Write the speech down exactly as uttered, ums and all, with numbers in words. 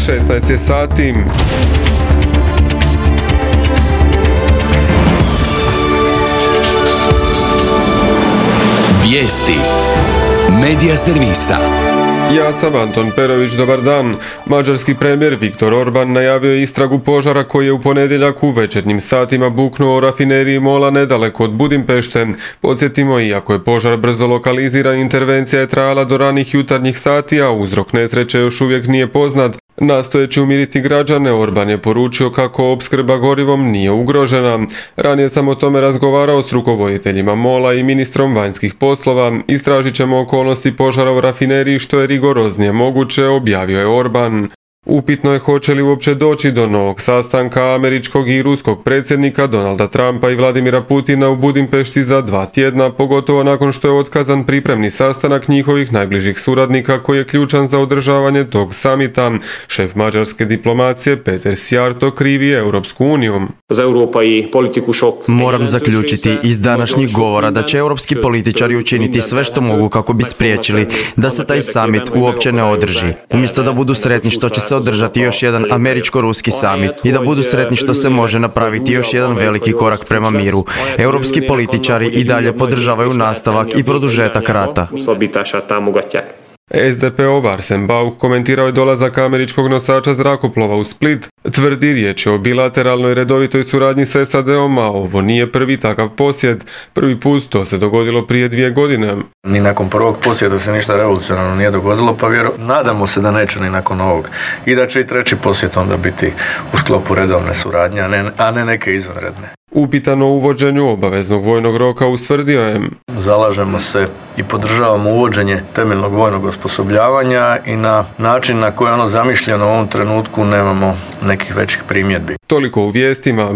šesnaest je sati. Vijesti Medija servisa. Ja sam Anton Perović, dobar dan. Mađarski premijer Viktor Orban najavio je istragu požara koji je u ponedjeljak u večernjim satima buknuo u rafineriji Mola nedaleko od Budimpešte. Podsjetimo, iako je požar brzo lokaliziran, intervencija je trajala do ranih jutarnjih sati, a uzrok nesreće još uvijek nije poznat. Nastojeći umiriti građane, Orban je poručio kako opskrba gorivom nije ugrožena. Ranije sam o tome razgovarao s rukovoditeljima Mola i ministrom vanjskih poslova. Istražit ćemo okolnosti požara u rafineriji što je rigoroznije moguće, objavio je Orban. Upitno je hoće li uopće doći do novog sastanka američkog i ruskog predsjednika Donalda Trumpa i Vladimira Putina u Budimpešti za dva tjedna, pogotovo nakon što je otkazan pripremni sastanak njihovih najbližih suradnika koji je ključan za održavanje tog samita. Šef mađarske diplomacije Peter Szijjártó krivi Europsku uniju. Moram zaključiti iz današnjih govora da će europski političari učiniti sve što mogu kako bi spriječili da se taj summit uopće ne održi. Umjesto da budu sretni što će se održati još jedan američko-ruski summit i da budu sretni što se može napraviti još jedan veliki korak prema miru, europski političari i dalje podržavaju nastavak i produžetak rata. es de peov Arsen Bauk komentirao je dolazak američkog nosača zrakoplova u Split. Tvrdi, riječ je o bilateralnoj redovitoj suradnji s es a de om, a ovo nije prvi takav posjet. Prvi put to se dogodilo prije dvije godine. Ni nakon prvog posjeta se ništa revolucionarno nije dogodilo, pa vjero, nadamo se da neće ni nakon ovog. I da će i treći posjet onda biti u sklopu redovne suradnje, a ne, a ne neke izvanredne. Upitan o uvođenju obaveznog vojnog roka ustvrdio je: Zalažemo se i podržavamo uvođenje temeljnog vojnog osposobljavanja i na način na koji je ono zamišljeno u ovom trenutku nemamo nekih većih primjedbi. Toliko u vijestima.